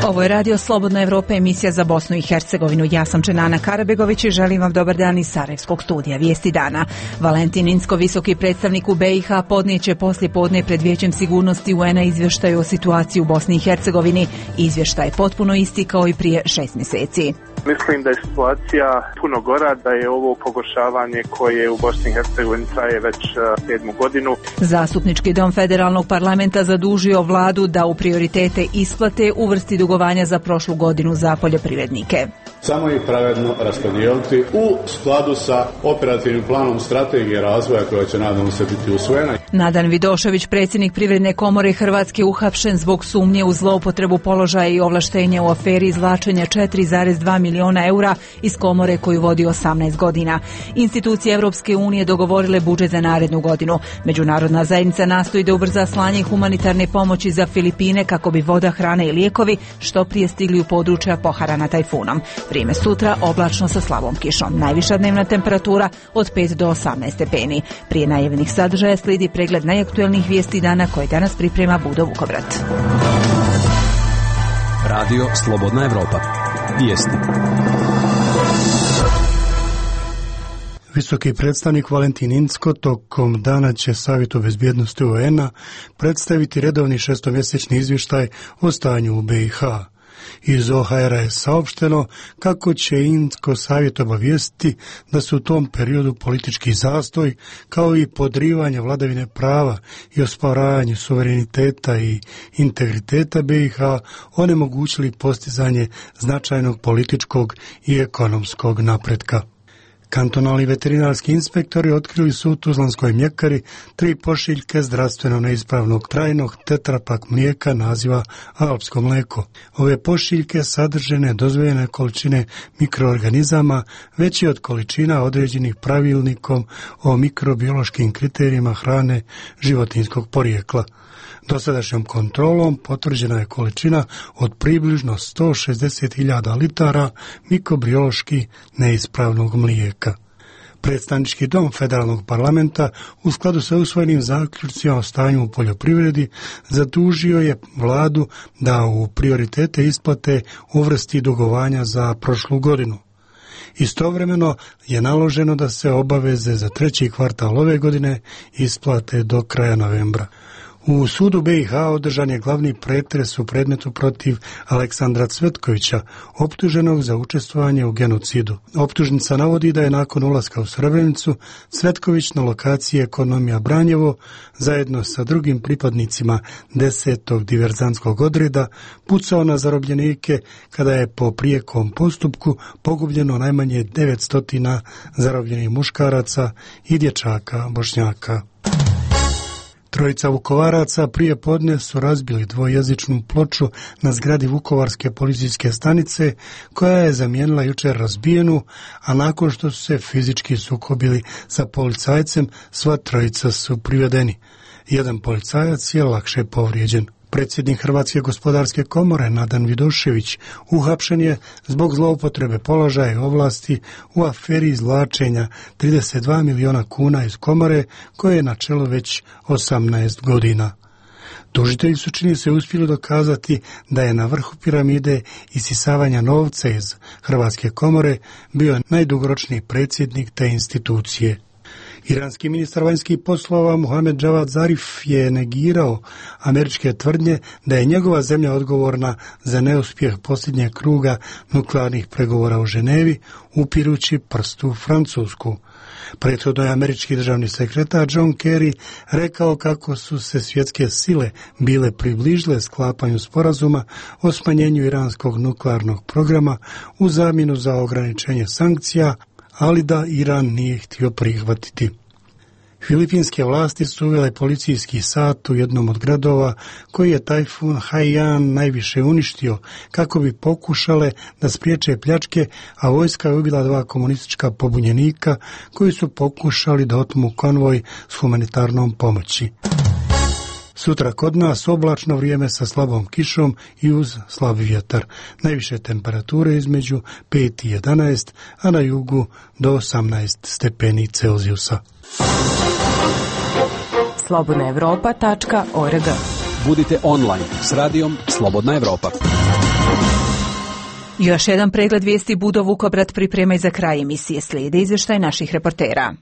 Ovo je Radio Slobodna Evropa, emisija za Bosnu i Hercegovinu. Ja sam Čenana Karabegović i želim vam dobar dan iz Sarajevskog studija. Vijesti dana. Valentin Incko, visoki predstavnik u BiH, podnijeće poslije podne pred Vijećem sigurnosti UN-a izvještaj o situaciji u Bosni i Hercegovini. Izvještaj je potpuno isti kao i prije 6 mjeseci. Mislim da je situacija puno gora, da je ovo pogoršavanje koje u Bosni i Hercegovini traje već 7. godinu. Zastupnički dom federalnog parlamenta zadužio vladu da u prioritete isplate uvrsti dugovanja za prošlu godinu za poljoprivrednike. Samo je pravedno raspodijeliti u skladu sa operativnim planom strategije razvoja koja će nadam se biti usvojena. Nadan Vidošević, predsjednik Privredne komore Hrvatske, uhapšen zbog sumnje u zloupotrebu položaja i ovlaštenja u aferi izvlačenja 4,2 milijuna eura iz komore koju vodi 18 godina. Institucije Europske unije dogovorile budžet za narednu godinu. Međunarodna zajednica nastoji da ubrza slanje humanitarne pomoći za Filipine kako bi voda, hrana i lijekovi što prije stigli u područja poharana tajfunom. Vrijeme sutra oblačno sa slabom kišom. Najviša dnevna temperatura od 5 do 18 stepeni. Prije najavljenih sadržaja slijedi pregled najaktuelnijih vijesti dana koje danas priprema Budo Vukovrat. Radio Slobodna Evropa. Vijesti. Visoki predstavnik Valentin Incko tokom dana će Savjetu bezbjednosti UN-a predstaviti redovni šestomjesečni izvještaj o stanju u BiH. Iz OHR-a je saopšteno kako će Incko savjet obavijestiti da su u tom periodu politički zastoj kao i podrivanje vladavine prava i osporavanje suvereniteta i integriteta BiH onemogućili postizanje značajnog političkog i ekonomskog napretka. Kantonalni veterinarski inspektori otkrili su u tuzlanskoj mljekari 3 pošiljke zdravstveno neispravnog trajnog tetrapak mlijeka naziva alpsko mlijeko. Ove pošiljke sadrže nedozvoljene količine mikroorganizama veći od količina određenih pravilnikom o mikrobiološkim kriterijima hrane životinjskog porijekla. Dosadašnjom kontrolom potvrđena je količina od približno 160.000 litara mikrobiološki neispravnog mlijeka. Predstavnički dom federalnog parlamenta u skladu sa usvojenim zaključcima o stanju u poljoprivredi zadužio je vladu da u prioritete isplate uvrsti dugovanja za prošlu godinu. Istovremeno je naloženo da se obaveze za 3. kvartal ove godine isplate do kraja novembra. U sudu BiH održan je glavni pretres u predmetu protiv Aleksandra Cvetkovića, optuženog za učestvovanje u genocidu. Optužnica navodi da je nakon ulaska u Srebrenicu Cvetković na lokaciji Ekonomija Branjevo zajedno sa drugim pripadnicima 10. diverzantskog odreda pucao na zarobljenike kada je po prijekom postupku pogubljeno najmanje 900 zarobljenih muškaraca i dječaka Bošnjaka. 3 Vukovaraca prije podne su razbili dvojezičnu ploču na zgradi Vukovarske policijske stanice koja je zamijenila jučer razbijenu, a nakon što su se fizički sukobili sa policajcem, sva 3 su privedeni. Jedan policajac je lakše povrijeđen. Predsjednik Hrvatske gospodarske komore Nadan Vidošević uhapšen je zbog zloupotrebe položaja i ovlasti u aferi izvlačenja 32 milijuna kuna iz komore koje je na čelu već 18 godina. Tužitelji su, čini se, uspjeli dokazati da je na vrhu piramide isisavanja novca iz Hrvatske komore bio najdugoročniji predsjednik te institucije. Iranski ministar vanjskih poslova Mohamed Javad Zarif je negirao američke tvrdnje da je njegova zemlja odgovorna za neuspjeh posljednjeg kruga nuklearnih pregovora u Ženevi, upirući prstu Francusku. Prethodno je američki državni sekretar John Kerry rekao kako su se svjetske sile bile približile sklapanju sporazuma o smanjenju iranskog nuklearnog programa u zamjenu za ograničenje sankcija, ali da Iran nije htio prihvatiti. Filipinske vlasti su uvele policijski sat u jednom od gradova koji je tajfun Haiyan najviše uništio kako bi pokušale da spriječe pljačke, a vojska je ubila 2 komunistička pobunjenika koji su pokušali da otmu konvoj s humanitarnom pomoći. Sutra kod nas oblačno vrijeme sa slabom kišom i uz slab vjetar. Najviše temperature između 5 i 11, a na jugu do 18 stepeni Celzijusa. slobodnaevropa.org. Budite online s radijom Slobodna Evropa. Još jedan pregled vijesti Budo Vukobrad priprema i za kraj emisije. Slijede izvještaj naših reportera.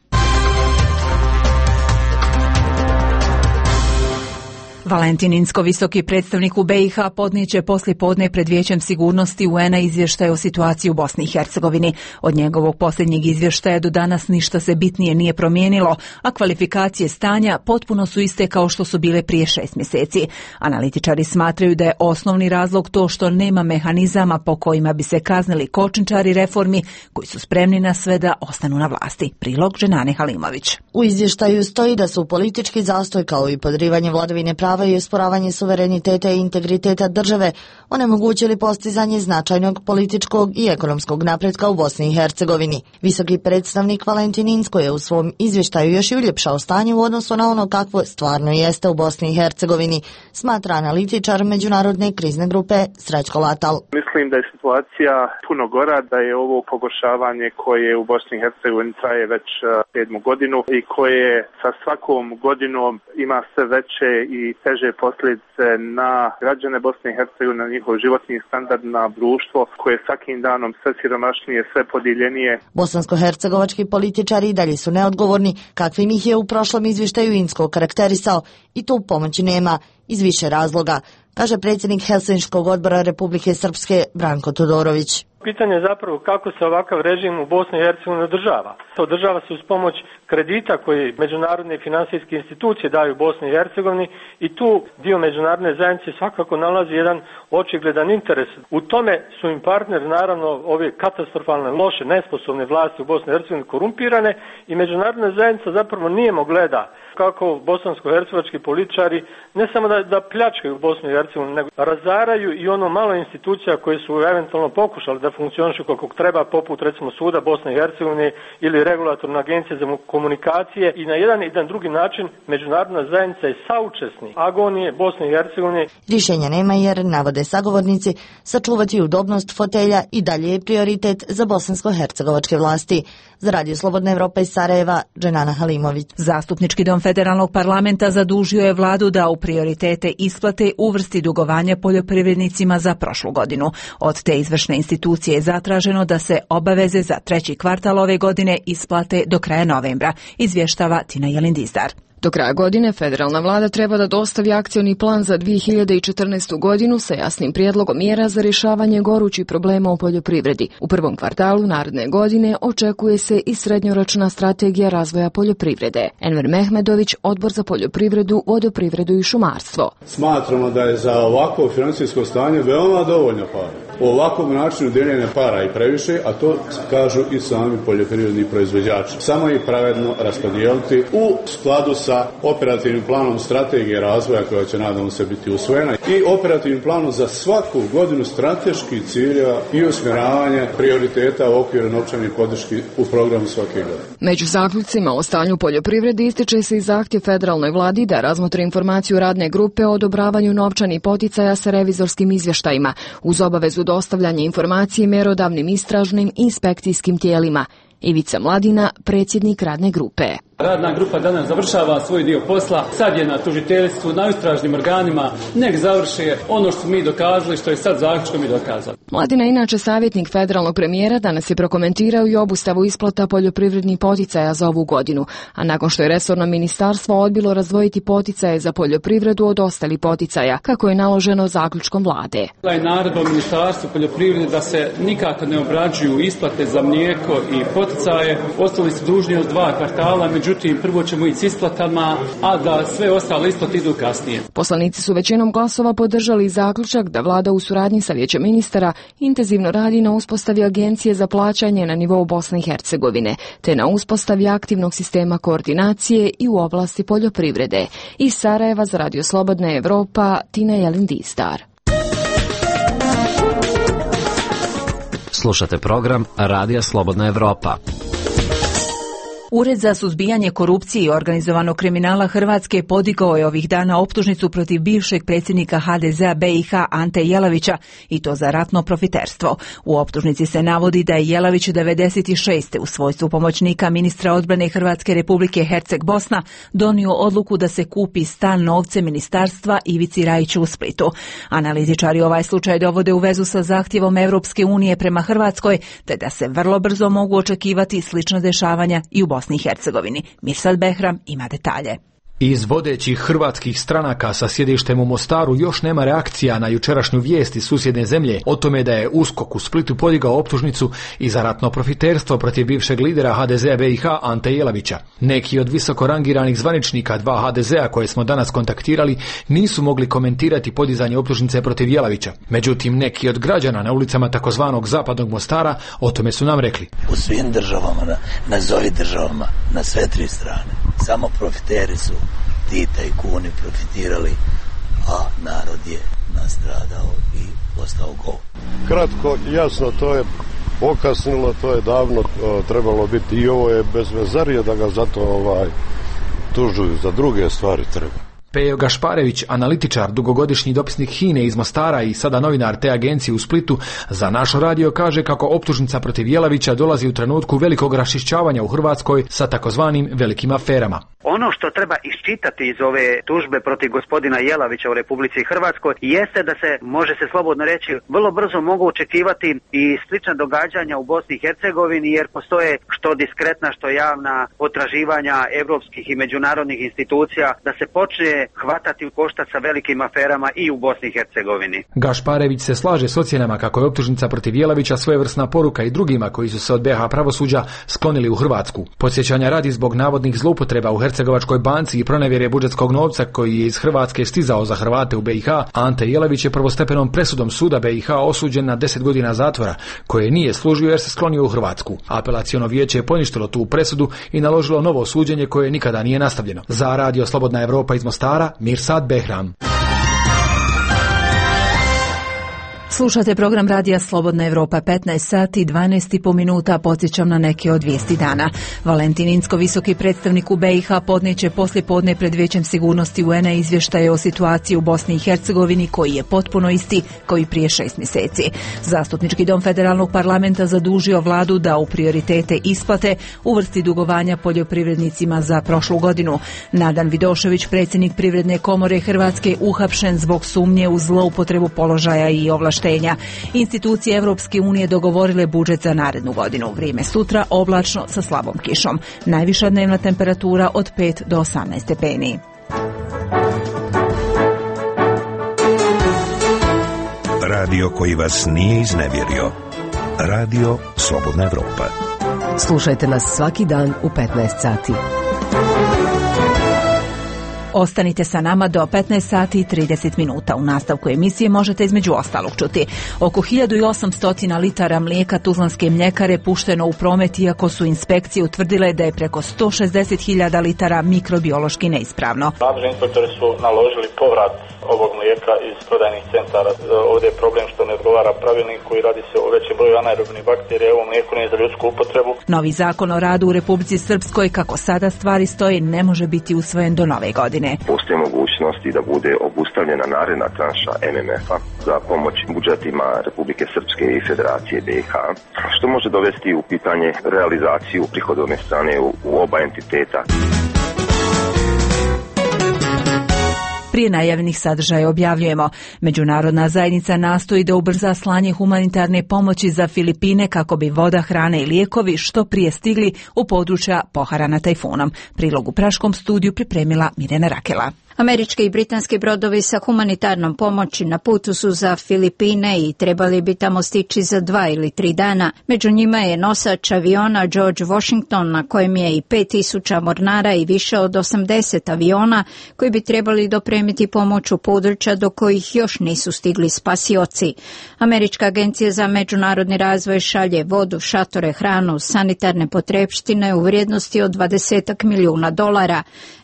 Valentin Inzko, visoki predstavnik u BiH, podnijeće poslijepodne pred Vijećem sigurnosti UN-a izvještaj o situaciji u Bosni i Hercegovini. Od njegovog posljednjeg izvještaja do danas ništa se bitnije nije promijenilo, a kvalifikacije stanja potpuno su iste kao što su bile prije 6 mjeseci. Analitičari smatraju da je osnovni razlog to što nema mehanizama po kojima bi se kaznili kočničari reformi koji su spremni na sve da ostanu na vlasti. Prilog Dženane Halimović. U izvještaju stoji da su politički zastoj kao i podrivanje vladavine prava i osporavanje suvereniteta i integriteta države onemogućili postizanje značajnog političkog i ekonomskog napretka u Bosni i Hercegovini. Visoki predstavnik Valentin Inzko je u svom izvještaju još i uljepšao stanje u odnosu na ono kakvo stvarno jeste u Bosni i Hercegovini, smatra analitičar međunarodne krizne grupe Srećko Latal. Mislim da je situacija puno gora, da je ovo pogoršavanje koje u Bosni i Hercegovini traje već 7 godinu i koje sa svakom godinom ima sve veće i teže posljedice na građane Bosne i Hercegovine, na njihov životni standard, na društvo koje svakim danom sve siromašnije, sve podijeljenije. Bosansko-hercegovački političari i dalje su neodgovorni, kakvim ih je u prošlom izvještaju Inzko karakterisao, i tu pomoći nema iz više razloga, kaže predsjednik Helsinškog odbora Republike Srpske Branko Todorović. Pitanje je zapravo kako se ovakav režim u Bosni i Hercegovini održava. Održava se uz pomoć kredita koji međunarodne finansijske institucije daju Bosni i Hercegovini i tu dio međunarodne zajednice svakako nalazi jedan očigledan interes. U tome su im partneri, naravno, ove katastrofalne, loše, nesposobne vlasti u Bosni i Hercegovini korumpirane i međunarodna zajednica zapravo nijemo gleda kako bosansko-hercegovački političari ne samo da pljačkaju Bosnu i Hercegovinu, nego razaraju i ono malo institucija koje su eventualno pokušali da funkcionišu kako treba, poput recimo Suda Bosne i Hercegovine ili Regulatorna agencija za komunikacije, i na jedan i na drugi način međunarodna zajednica je saučesnik agonije Bosne i Hercegovine. Rješenja nema jer, navode sagovornici, sačuvati udobnost fotelja i dalje je prioritet za bosansko-hercegovačke vlasti. Za Radio Slobodna Evropa iz Sarajeva, Dženana Halimović. Zastupnički dom Federalnog parlamenta zadužio je vladu da u prioritete isplate uvrsti dugovanja poljoprivrednicima za prošlu godinu. Od te izvršne institucije je zatraženo da se obaveze za 3. kvartal ove godine isplate do kraja novembra, izvještava Tina Jelindizdar. Do kraja godine federalna vlada treba da dostavi akcioni plan za 2014. godinu sa jasnim prijedlogom mjera za rješavanje gorućih problema u poljoprivredi. U prvom kvartalu naredne godine očekuje se i srednjoročna strategija razvoja poljoprivrede. Enver Mehmedović, Odbor za poljoprivredu, vodoprivredu i šumarstvo. Smatramo da je za ovako financijsko stanje veoma dovoljno para. U ovakvom načinu dijeljenja para i previše, a to kažu i sami poljoprivredni proizvođači. Samo ih pravedno raspodijeliti u skladu sa operativnim planom strategije razvoja koja će nadamo se biti usvojena i operativnim planom za svaku godinu strateških ciljeva i usmjeravanje prioriteta u okviru novčanih podrški u programu svake godine. Među zaključcima o stanju poljoprivrede ističe se i zahtjev federalnoj vladi da razmotri informaciju radne grupe o odobravanju novčanih poticaja sa revizorskim izvještajima uz obavezu dostavljanja informacije mjerodavnim istražnim i inspekcijskim tijelima. Ivica Mladina, predsjednik radne grupe. Radna grupa danas završava svoj dio posla, sad je na tužiteljstvu, na istražnim organima, nek završe ono što su mi dokazali, što je sad zaključkom i dokazali. Mladina, inače savjetnik federalnog premijera, danas je prokomentirao i obustavu isplata poljoprivrednih poticaja za ovu godinu, a nakon što je resorno ministarstvo odbilo razdvojiti poticaje za poljoprivredu od ostalih poticaja, kako je naloženo zaključkom vlade. Je naredba u ministarstvu poljoprivrede da se nikako ne obrađuju isplate za mlijeko i poticaje, ostali su dužni od 2 kvartala, međutim prvo ćemo ići s isplatama, a da sve ostale isplate idu kasnije. Poslanici su većinom glasova podržali zaključak da vlada u suradnji sa Vijećem ministara intenzivno radi na uspostavi agencije za plaćanje na nivou Bosne i Hercegovine, te na uspostavi aktivnog sistema koordinacije i u oblasti poljoprivrede. Iz Sarajeva za Radio Slobodna Evropa, Tina Jelindistar. Slušate program Radija Slobodna Evropa. Ured za suzbijanje korupcije i organizovanog kriminala Hrvatske podigao je ovih dana optužnicu protiv bivšeg predsjednika HDZ-a BiH Ante Jelavića i to za ratno profiterstvo. U optužnici se navodi da je Jelavić 96. u svojstvu pomoćnika ministra odbrane Hrvatske Republike Herceg Bosna donio odluku da se kupi stan novcem ministarstva Ivici Rajiću u Splitu. Analitičari ovaj slučaj dovode u vezu sa zahtjevom Europske unije prema Hrvatskoj, te da se vrlo brzo mogu očekivati slična dešavanja i u Bosni i Hercegovini. Mirsad Behram ima detalje. Iz vodećih hrvatskih stranaka sa sjedištem u Mostaru još nema reakcija na jučerašnju vijest iz susjedne zemlje o tome da je USKOK u Splitu podigao optužnicu i za ratno profiterstvo protiv bivšeg lidera HDZ-a BiH Ante Jelavića. Neki od visoko rangiranih zvaničnika 2 HDZ-a koje smo danas kontaktirali nisu mogli komentirati podizanje optužnice protiv Jelavića. Međutim, neki od građana na ulicama takozvanog zapadnog Mostara o tome su nam rekli. U svim državama, nazovi državama, na sve tri strane, samo profiteri su ti tajkuni profitirali, a narod je nastradao i ostao gol. Kratko, jasno, to je okasnilo, to je davno trebalo biti i ovo je bezvezarije da ga zato tužuju, za druge stvari treba. Pejo Gašparević, analitičar, dugogodišnji dopisnik HINE iz Mostara i sada novinar te agencije u Splitu, za naš radio kaže kako optužnica protiv Jelavića dolazi u trenutku velikog raščišćavanja u Hrvatskoj sa takozvanim velikim aferama. Ono što treba iščitati iz ove tužbe protiv gospodina Jelavića u Republici Hrvatskoj jeste da se, može se slobodno reći, vrlo brzo mogu očekivati i slična događanja u Bosni i Hercegovini, jer postoje što diskretna, što javna potraživanja evropskih i međunarodnih institucija da se počne hvatati u koštac sa velikim aferama i u Bosni i Hercegovini. Gašparević se slaže s ocjenama kako je optužnica protiv Jelavića svojevrsna poruka i drugima koji su se od BiH pravosuđa sklonili u Hrvatsku. Podsjećanja radi zbog navodnih zloupotreba u Hercegovačkoj banci i pronevjere budžetskog novca koji je iz Hrvatske stizao za Hrvate u BiH, Ante Jelavić je prvostepenom presudom suda BiH osuđen na 10 godina zatvora, koje nije služio jer se sklonio u Hrvatsku. Apelaciono vijeće je poništilo tu presudu i naložilo novo suđenje koje nikada nije nastavljeno. Za Radio Slobodna Evropa iz Mostara, Mirsad Behram. Slušate program Radija Slobodna Evropa, 15 sati i 12,5 minuta, podsjećam na neke od vijesti dana. Valentin Incko, visoki predstavnik u BiH, podneće poslijepodne pred Vijećem sigurnosti UN-a izvještaje o situaciji u Bosni i Hercegovini koji je potpuno isti kao i prije 6 mjeseci. Zastupnički dom federalnog parlamenta zadužio vladu da u prioritete isplate uvrsti dugovanja poljoprivrednicima za prošlu godinu. Nadan Vidošević, predsjednik Privredne komore Hrvatske, uhapšen zbog sumnje u zloupotrebu položaja i ovlaštenja. Institucije Europske unije dogovorile budžet za narednu godinu. Vrijeme sutra oblačno sa slabom kišom. Najviša dnevna temperatura od 5 do 18 stepeni. Radio koji vas nije iznevjerio. Radio Slobodna Evropa. Slušajte nas svaki dan u 15 sati. Ostanite sa nama do 15 sati i 30 minuta. U nastavku emisije možete između ostalog čuti. Oko 1800 litara mlijeka Tuzlanske mljekare pušteno u promet, iako su inspekcije utvrdile da je preko 160.000 litara mikrobiološki neispravno. Nadležni inspektori su naložili povrat ovog mlijeka iz prodajnih centara. Ovdje je problem što ne odgovara pravilniku i radi se o većem broju anaerobnih bakterija. Ovo mlijeko nije za ljudsku upotrebu. Novi zakon o radu u Republici Srpskoj, kako sada stvari stoje, ne može biti usvojen do nove godine. Postoje mogućnosti da bude obustavljena naredna tranša MMF-a za pomoć budžetima Republike Srpske i Federacije BiH, što može dovesti u pitanje realizaciju prihodovne strane u oba entiteta. Prije najavljenih sadržaja objavljujemo. Međunarodna zajednica nastoji da ubrza slanje humanitarne pomoći za Filipine kako bi voda, hrana i lijekovi što prije stigli u područja poharana tajfunom. Prilog u Praškom studiju pripremila Mirjana Rakela. Američki i britanski brodovi sa humanitarnom pomoći na putu su za Filipine i trebali bi tamo stići za 2 ili 3 dana. Među njima je nosač aviona George Washington, na kojem je i 5.000 mornara i više od 80 aviona koji bi trebali dopremiti pomoć u područja do kojih još nisu stigli spasioci. Američka agencija za međunarodni razvoj šalje vodu, šatore, hranu, sanitarne potrepštine u vrijednosti od $20 milijuna.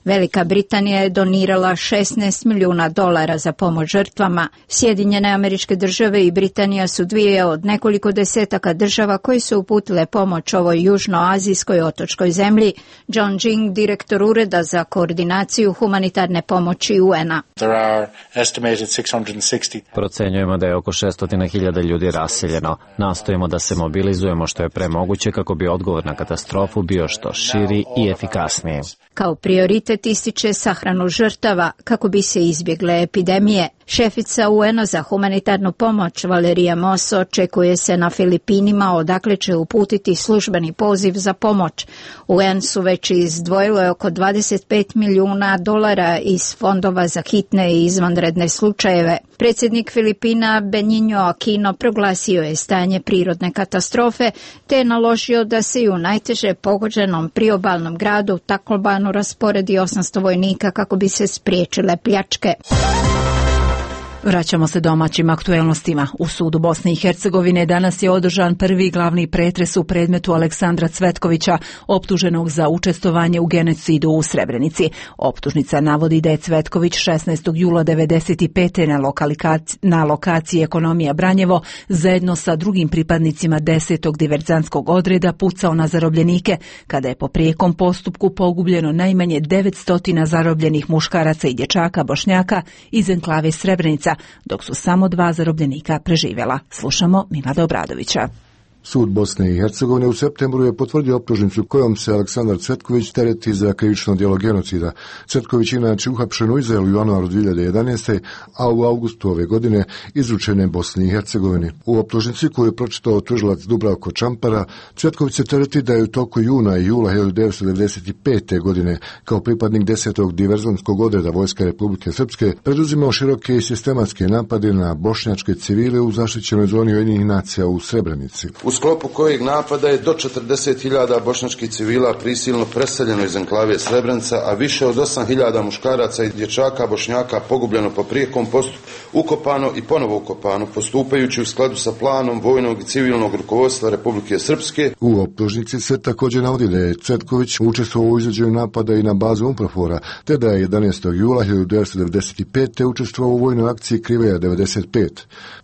Velika Britanija je donirala osigurala $16 milijuna za pomoć žrtvama. Sjedinjene Američke Države i Britanija su dvije od nekoliko desetaka država koje su uputile pomoć ovoj južnoazijskoj otočkoj zemlji. John Jing, direktor Ureda za koordinaciju humanitarne pomoći UN-a. Procenjujemo da je oko 600.000 ljudi raseljeno. Nastojimo da se mobilizujemo što je pre moguće kako bi odgovor na katastrofu bio što širi i efikasniji. Kao prioritet ističe sahranu žrtava kako bi se izbjegle epidemije. Šefica UN-a za humanitarnu pomoć Valerija Moss očekuje se na Filipinima, odakle će uputiti službeni poziv za pomoć. UN su već izdvojile oko $25 milijuna iz fondova za hitne i izvanredne slučajeve. Predsjednik Filipina Benigno Aquino proglasio je stanje prirodne katastrofe te je naložio da se i u najteže pogođenom priobalnom gradu Taclobanu rasporedi 800 vojnika kako bi se spriječile pljačke. Vraćamo se domaćim aktuelnostima. U sudu Bosne i Hercegovine danas je održan prvi glavni pretres u predmetu Aleksandra Cvetkovića, optuženog za učestvovanje u genocidu u Srebrenici. Optužnica navodi da je Cvetković 16. jula 1995. na lokaciji Ekonomija Branjevo zajedno sa drugim pripadnicima 10. diverzantskog odreda pucao na zarobljenike, kada je po prijekom postupku pogubljeno najmanje 900 zarobljenih muškaraca i dječaka Bošnjaka iz enklave Srebrenica, dok su samo 2 zarobljenika preživjela. Slušamo Milada Obradovića. Sud Bosne i Hercegovine u septembru je potvrdio optužnicu kojom se Aleksandar Cvetković tereti za krivično djelo genocida. Cvetković inače uhapšen u Izraelu u januaru 2011. a u augustu ove godine izručen je Bosni i Hercegovini. U optužnici koju je pročitao tužilac Dubravko Čampara, Cvetković se tereti da je u toku juna i jula 1995. godine kao pripadnik 10. diverzantskog odreda Vojske Republike Srpske preduzimao široke i sistematske napade na bošnjačke civile u zaštićenoj zoni Ujedinjenih nacija u Srebrenici. U sklopu kojeg napada je do 40.000 bošnjačkih civila prisilno preseljeno iz enklave Srebrenica, a više od 8.000 muškaraca i dječaka Bošnjaka pogubljeno po prijekom postupku, ukopano i ponovo ukopano, postupajući u skladu sa planom vojnog i civilnog rukovodstva Republike Srpske. U optužnici se također navodi da je Cvetković učestvovao u izvođenju napada i na bazu UNPROFOR-a, te da je 11. jula 1995. učestvovao u vojnoj akciji Kriveja 95.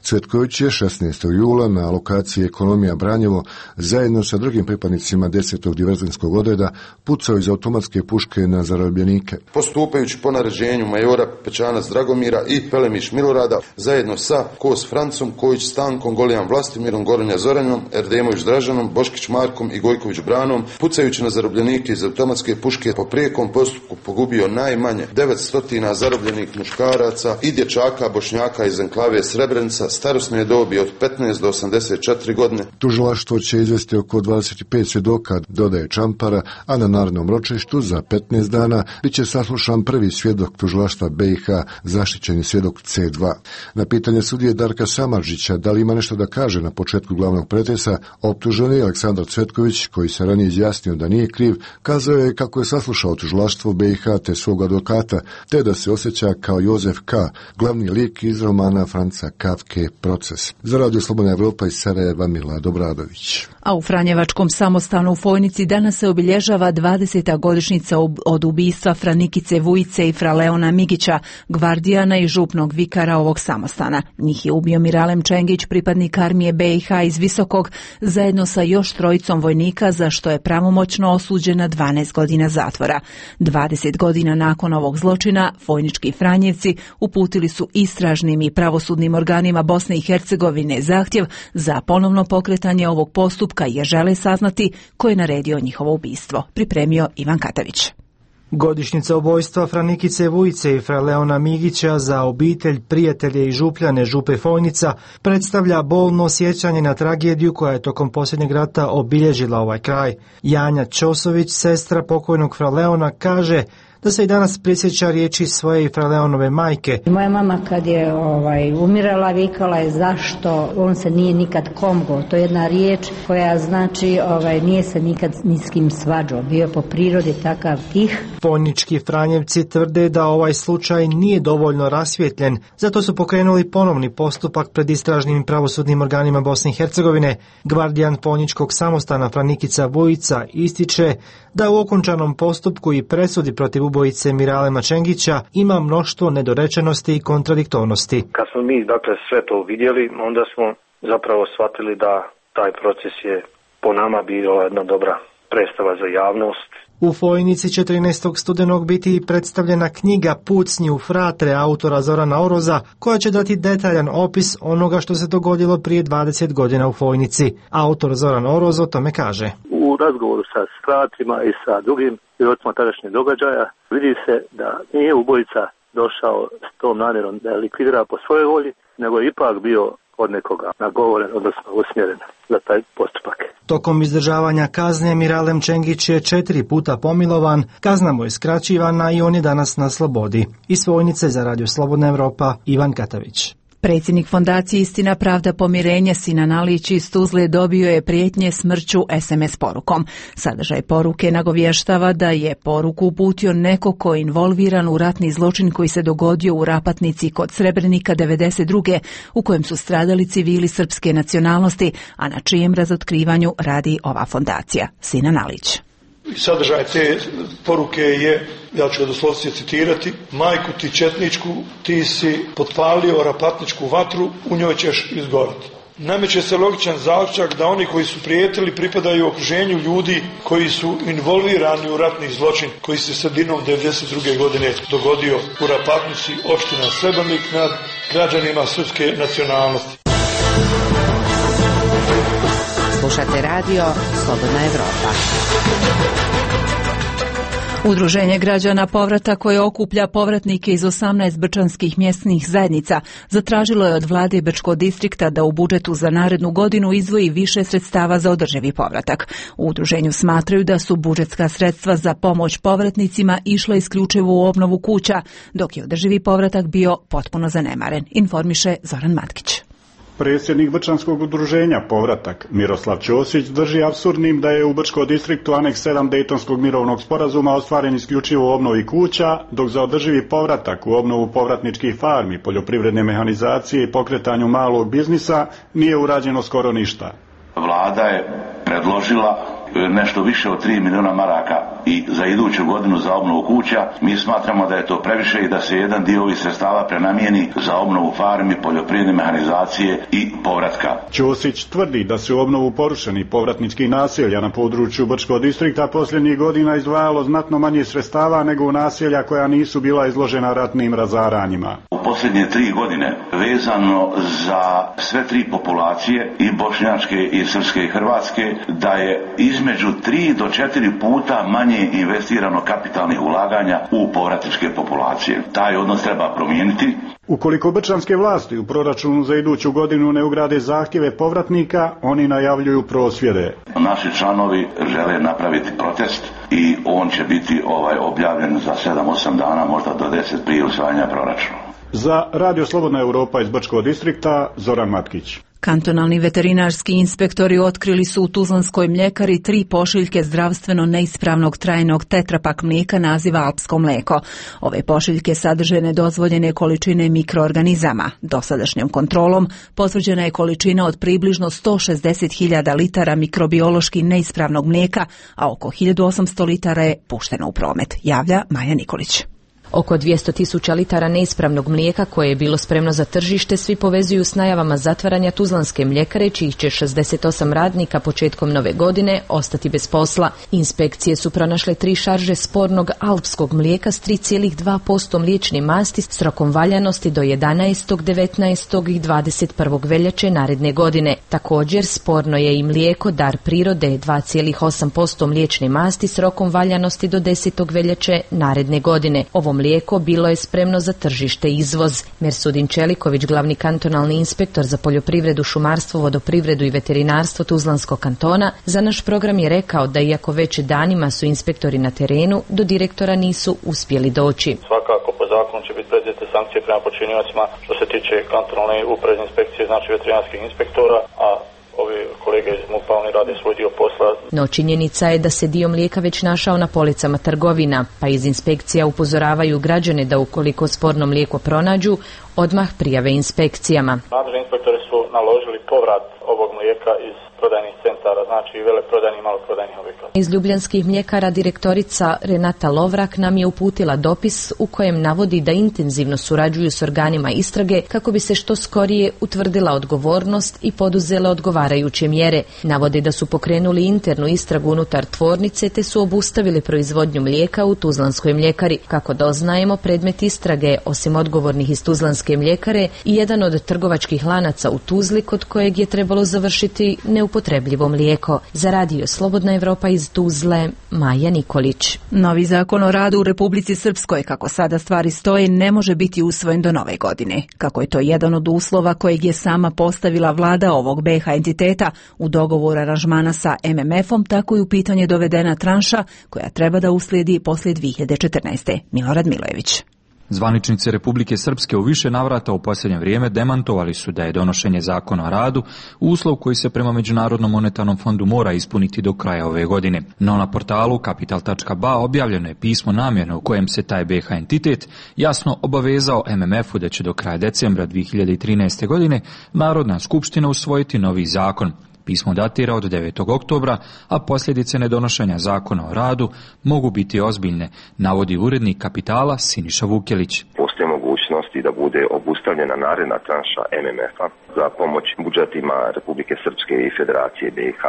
Cvetković je 16. jula na lokaciji Ekonomija Branjevo zajedno sa drugim pripadnicima 10. diverzantskog odreda pucao iz automatske puške na zarobljenike. Postupajući po naređenju majora Pećanac Dragomira i Pelemiš Milorada zajedno sa Kos Francom, Kojić Stankom, Golijan Vlastimirom, Goronja Zoranom, Erdemović Dražanom, Boškić Markom i Gojković Branom, pucajući na zarobljenike iz automatske puške po prijekom postupku pogubio najmanje 900 zarobljenih muškaraca i dječaka Bošnjaka iz enklave Srebrenica starosne dobi od 15 do 84 godine. Tužilaštvo će izvesti oko 25 svjedoka, dodaje Čampara, a na narednom ročištu za 15 dana bit će saslušan prvi svjedok tužilaštva BiH, zaštićeni svjedok C2. Na pitanje sudije Darka Samardžića da li ima nešto da kaže na početku glavnog pretresa, optuženi Aleksandar Cvetković, koji se ranije izjasnio da nije kriv, kazao je kako je saslušao tužilaštvo BiH te svog advokata, te da se osjeća kao Jozef K., glavni lik iz romana Franca Kafke Proces. Za Radio Slobodna Evropa iz Sarajeva, Milad Obradović. A u Franjevačkom samostanu u Fojnici danas se obilježava 20. godišnjica od ubistva Franikice Vujice i fra Leona Migića, gvardijana i župnog vikara ovog samostana. Njih je ubio Miralem Čengić, pripadnik armije BiH iz Visokog, zajedno sa još 3 vojnika, za što je pravomoćno osuđen na 12 godina zatvora. 20 godina nakon ovog zločina, Fojnički Franjevci uputili su istražnim i pravosudnim organima Bosne i Hercegovine zahtjev za ponovno pokretanje ovog postupka jer žele saznati ko je naredio njihovo ubistvo. Pripremio Ivan Katavić. Godišnjica ubojstva Franikice Vujice i fra Leona Migića za obitelj, prijatelje i župljane župe Fojnica predstavlja bolno sjećanje na tragediju koja je tokom posljednjeg rata obilježila ovaj kraj. Janja Ćosović, sestra pokojnog fra Leona, kaže da se i danas prisjeća riječi svoje i fra Leonove majke. Moja mama kad je umirala vikala je zašto on se nije nikad komgo. To je jedna riječ koja znači nije se nikad ni s kim svađao. Bio je po prirodi takav tih. Fojnički Franjevci tvrde da ovaj slučaj nije dovoljno rasvjetljen, zato su pokrenuli ponovni postupak pred istražnim i pravosudnim organima Bosne i Hercegovine. Gvardijan Fojničkog samostana Franikica Vujica ističe da u okončanom postupku i presudi protiv ubojice Miralema Čengića ima mnoštvo nedorečenosti i kontradiktornosti. Kad smo mi sve to vidjeli, onda smo zapravo shvatili da taj proces je po nama bio jedna dobra predstava za javnost. U Fojnici 14. studenog biti predstavljena knjiga Pucnji u fratre autora Zorana Oroza, koja će dati detaljan opis onoga što se dogodilo prije 20 godina u Fojnici. Autor Zoran Oroz o tome kaže: U razgovoru sa fratrima i sa drugim svjedocima tadašnjeg događaja vidi se da nije ubojica došao s tom namjerom da likvidira po svojoj volji, nego je ipak bio od nekoga nagovoren, odnosno usmjeren za taj postupak. Tokom izdržavanja kazne Miralem Čengić je 4 puta pomilovan, kazna mu je skraćivana i on je danas na slobodi. Iz Vojnice za Radio Slobodna Evropa, Ivan Katavić. Predsjednik fondacije Istina, pravda, pomirenje Sinan Alić iz Tuzle dobio je prijetnje smrću SMS porukom. Sadržaj poruke nagovještava da je poruku uputio neko ko je involviran u ratni zločin koji se dogodio u Rapatnici kod Srebrenika 92. u kojem su stradali civili srpske nacionalnosti, a na čijem razotkrivanju radi ova fondacija. Sinan Alić. Sadržaj te poruke je, ja ću ga doslovce citirati: majku ti četničku, ti si potpalio rapatničku vatru, u njoj ćeš izgorati. Nameće se logičan zaključak da oni koji su prijetili pripadaju okruženju ljudi koji su involvirani u ratni zločin koji se sredinom 92. godine dogodio u Rapatnici, opština Srebrenik, nad građanima srpske nacionalnosti. Slušate radio Slobodna Evropa. Udruženje građana Povrata, koje okuplja povratnike iz 18 brčanskih mjesnih zajednica, zatražilo je od vlade Brčkog distrikta da u budžetu za narednu godinu izdvoji više sredstava za održivi povratak. U udruženju smatraju da su budžetska sredstva za pomoć povratnicima išla isključivo u obnovu kuća, dok je održivi povratak bio potpuno zanemaren, informiše Zoran Matkić. Predsjednik Brčanskog udruženja Povratak Miroslav Ćosić drži apsurdnim da je u Brčkom distriktu aneks 7 Dejtonskog mirovnog sporazuma ostvaren isključivo u obnovi kuća, dok za održivi povratak u obnovu povratničkih farmi, poljoprivredne mehanizacije i pokretanju malog biznisa nije urađeno skoro ništa. Vlada je predložila nešto više od 3 milijuna maraka i za iduću godinu za obnovu kuća. Mi smatramo da je to previše i da se jedan dio ovih sredstava prenamijeni za obnovu farmi, poljoprivredne mehanizacije i povratka. Ćosić tvrdi da se u obnovu porušenih povratničkih naselja na području Brčkog distrikta posljednjih godina izdvajalo znatno manje sredstava nego u naselja koja nisu bila izložena ratnim razaranjima. U posljednje 3 godine vezano za sve 3 populacije, i bošnjačke i srpske i hrvatske, da je između 3 do 4 puta manje investirano kapitalnih ulaganja u povratničke populacije. Taj odnos treba promijeniti. Ukoliko brčanske vlasti u proračunu za iduću godinu ne ugrade zahtjeve povratnika, oni najavljuju prosvjede. Naši članovi žele napraviti protest i on će biti objavljen za 7-8 dana, možda do 10 prije usvajanja proračuna. Za Radio Slobodna Evropa iz Brčkog distrikta, Zoran Matkić. Kantonalni veterinarski inspektori otkrili su u Tuzlanskoj mljekari 3 pošiljke zdravstveno neispravnog trajnog tetrapak mlijeka naziva alpsko mlijeko. Ove pošiljke sadrže nedozvoljene količine mikroorganizama. Dosadašnjom kontrolom potvrđena je količina od približno 160.000 litara mikrobiološki neispravnog mlijeka, a oko 1800 litara je pušteno u promet, javlja Maja Nikolić. Oko 200.000 litara neispravnog mlijeka koje je bilo spremno za tržište svi povezuju s najavama zatvaranja Tuzlanske mljekare, čijih će 68 radnika početkom nove godine ostati bez posla. Inspekcije su pronašle 3 šarže spornog alpskog mlijeka s 3,2% mliječne masti s rokom valjanosti do 11., 19. i 21. veljače naredne godine. Također sporno je i mlijeko Dar prirode 2,8% mliječne masti s rokom valjanosti do 10. veljače naredne godine. Ovo mlijeko bilo je spremno za tržište i izvoz. Mersudin Čeliković, glavni kantonalni inspektor za poljoprivredu, šumarstvo, vodoprivredu i veterinarstvo Tuzlanskog kantona, za naš program je rekao da iako već danima su inspektori na terenu, do direktora nisu uspjeli doći. Svakako po zakonu će biti preduzete sankcije prema počiniocima što se tiče kantonalne upravne inspekcije, znači veterinarskih inspektora, a ovi kolege iz MUP-a, oni rade svoj dio posla. No činjenica je da se dio mlijeka već našao na policama trgovina, pa iz inspekcija upozoravaju građane da ukoliko sporno mlijeko pronađu, odmah prijave inspekcijama. Nadležni inspektori su naložili povrat ovog mlijeka iz prodajnih centara, znači veleprodajnih i maloprodajnih objekata. Iz ljubljanskih mljekara direktorica Renata Lovrak nam je uputila dopis u kojem navodi da intenzivno surađuju s organima istrage kako bi se što skorije utvrdila odgovornost i poduzele odgovarajuće mjere. Navode da su pokrenuli internu istragu unutar tvornice te su obustavili proizvodnju mlijeka u Tuzlanskoj mljekari. Kako doznajemo, predmet istrage, osim odgovornih iz Tuzlanske mljekare, i jedan od trgovačkih lanaca u Tuzli kod kojeg je trebalo završiti neupotrebljivo mlijeko. Za radio Slobodna Evropa iz Tuzle, Maja Nikolić. Novi zakon o radu u Republici Srpskoj, kako sada stvari stoje, ne može biti usvojen do nove godine. Kako je to jedan od uslova kojeg je sama postavila vlada ovog BiH entiteta u dogovoru aranžmana sa MMF-om, tako i u pitanje dovedena tranša koja treba da uslijedi poslije 2014. Milorad Milojević. Zvaničnici Republike Srpske u više navrata u posljednje vrijeme demantovali su da je donošenje zakona o radu uslov koji se prema Međunarodnom monetarnom fondu mora ispuniti do kraja ove godine. No na portalu Capital.ba objavljeno je pismo namjerne u kojem se taj BiH entitet jasno obavezao MMF-u da će do kraja decembra 2013. godine Narodna skupština usvojiti novi zakon. Pismo datira od 9. oktobra, a posljedice nedonošenja zakona o radu mogu biti ozbiljne, navodi urednik Kapitala Siniša Vukelić. Postoje mogućnosti da bude obustavljena naredna tranša MMF-a za pomoć budžetima Republike Srpske i Federacije BiH,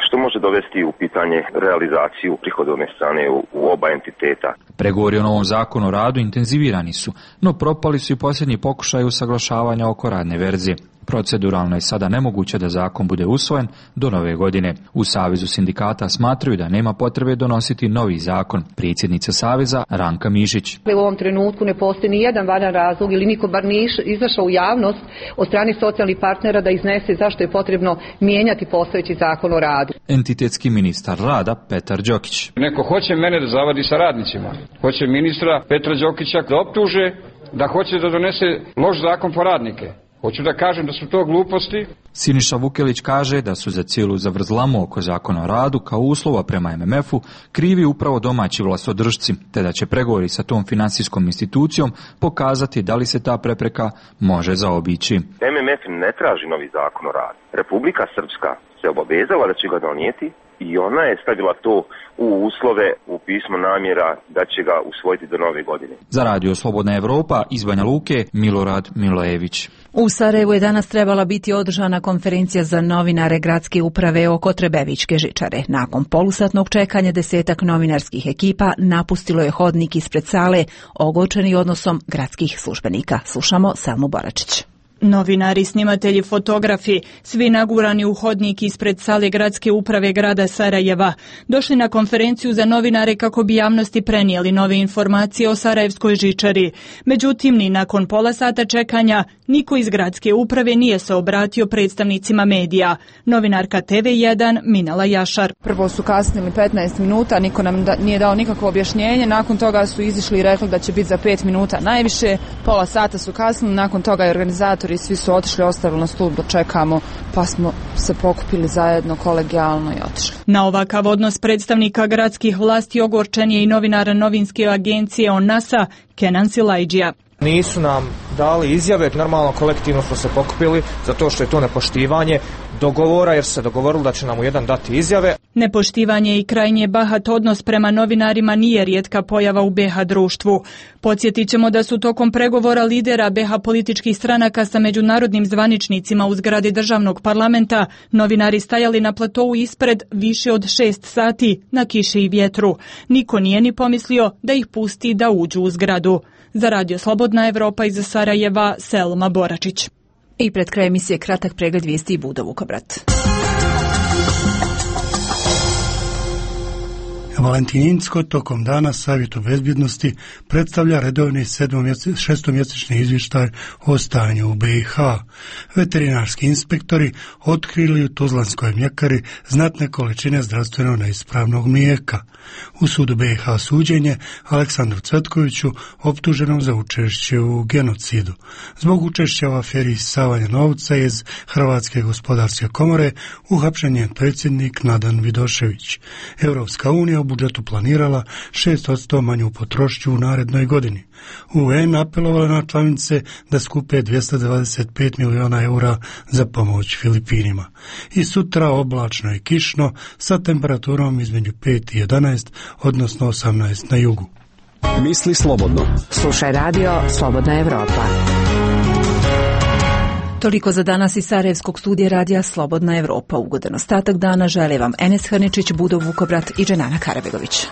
što može dovesti u pitanje realizaciju prihodovne strane u oba entiteta. Pregovori o novom zakonu o radu intenzivirani su, no propali su i posljednji pokušaj usaglašavanja oko radne verzije. Proceduralno je sada nemoguće da zakon bude usvojen do nove godine. U Savezu sindikata smatraju da nema potrebe donositi novi zakon. Predsjednica Saveza Ranka Mišić. U ovom trenutku ne postoji ni jedan valjan razlog ili niko bar nije izašao u javnost od strane socijalnih partnera da iznese zašto je potrebno mijenjati postojeći zakon o radu. Entitetski ministar rada Petar Đokić. Neko hoće mene da zavadi sa radnicima. Hoće ministra Petra Đokića da optuže da hoće da donese loš zakon po radnike. Hoću da kažem da su to gluposti. Siniša Vukelić kaže da su za cijelu zavrzlamu oko zakona o radu kao uslova prema MMF-u krivi upravo domaći vlastodržci, te da će pregovori sa tom financijskom institucijom pokazati da li se ta prepreka može zaobići. MMF ne traži novi zakon o radu. Republika Srpska se obavezala da će ga donijeti i ona je stavila to u uslove, u pismo namjera da će ga usvojiti do nove godine. Za radio Slobodna Evropa iz Banja Luke, Milorad Milojević. U Sarajevu je danas trebala biti održana konferencija za novinare gradske uprave oko Trebevićke žičare. Nakon polusatnog čekanja 10 novinarskih ekipa napustilo je hodnik ispred sale, ogorčeni odnosom gradskih službenika. Slušamo Selmu Boračić. Novinari, snimatelji, fotografi, svi nagurani u hodnik ispred sale gradske uprave grada Sarajeva, došli na konferenciju za novinare kako bi javnosti prenijeli nove informacije o Sarajevskoj žičari. Međutim, ni nakon pola sata čekanja, niko iz gradske uprave nije se obratio predstavnicima medija. Novinarka TV1 Minala Jašar. Prvo su kasnili 15 minuta, niko nam nije dao nikakvo objašnjenje, nakon toga su izišli i rekli da će biti za 5 minuta najviše, pola sata su kasnili, nakon toga je organizator i svi su otišli, ostavili nas tu da čekamo, pa smo se pokupili zajedno kolegijalno i otišli. Na ovakav odnos predstavnika gradskih vlasti ogorčen je i novinara novinske agencije ONASA Kenan Silajđija. Nisu nam dali izjave, normalno kolektivno smo se pokupili zato što je to nepoštivanje dogovora, jer su se dogovorili da će nam u jedan dati izjave. Nepoštivanje i krajnje bahat odnos prema novinarima nije rijetka pojava u BiH društvu. Podsjetit ćemo da su tokom pregovora lidera BiH političkih stranaka sa međunarodnim zvaničnicima u zgradi državnog parlamenta novinari stajali na platovu ispred više od 6 sati na kiši i vjetru. Niko nije ni pomislio da ih pusti da uđu u zgradu. Za radio Slobodna Evropa iz Sarajeva, Selma Boračić. I pred kraj emisije kratak pregled vijesti i Budo Vukobrat. Valentininsko tokom dana Savjetu bezbjednosti predstavlja redovni šestomjesečni izvještaj o stanju u BiH. Veterinarski inspektori otkrili u Tuzlanskoj mljekari znatne količine zdravstveno neispravnog mlijeka. U sudu BiH suđenje Aleksandru Cvetkoviću, optuženom za učešće u genocidu. Zbog učešća u aferi isisavanja novca iz Hrvatske gospodarske komore uhapšen je predsjednik Nadan Vidošević. Europska unija budžetu planirala 6% manju potrošnju u narednoj godini. UN apelovala na članice da skupe 225 miliona eura za pomoć Filipinima. I sutra oblačno i kišno sa temperaturom između 5 i 11, odnosno 18 na jugu. Misli slobodno. Slušaj radio Slobodna Evropa. Toliko za danas iz Sarajevskog studija radija Slobodna Evropa. Ugodan ostatak dana žele vam Enes Hrničić, Budov Vukobrat i Dženana Karabegović.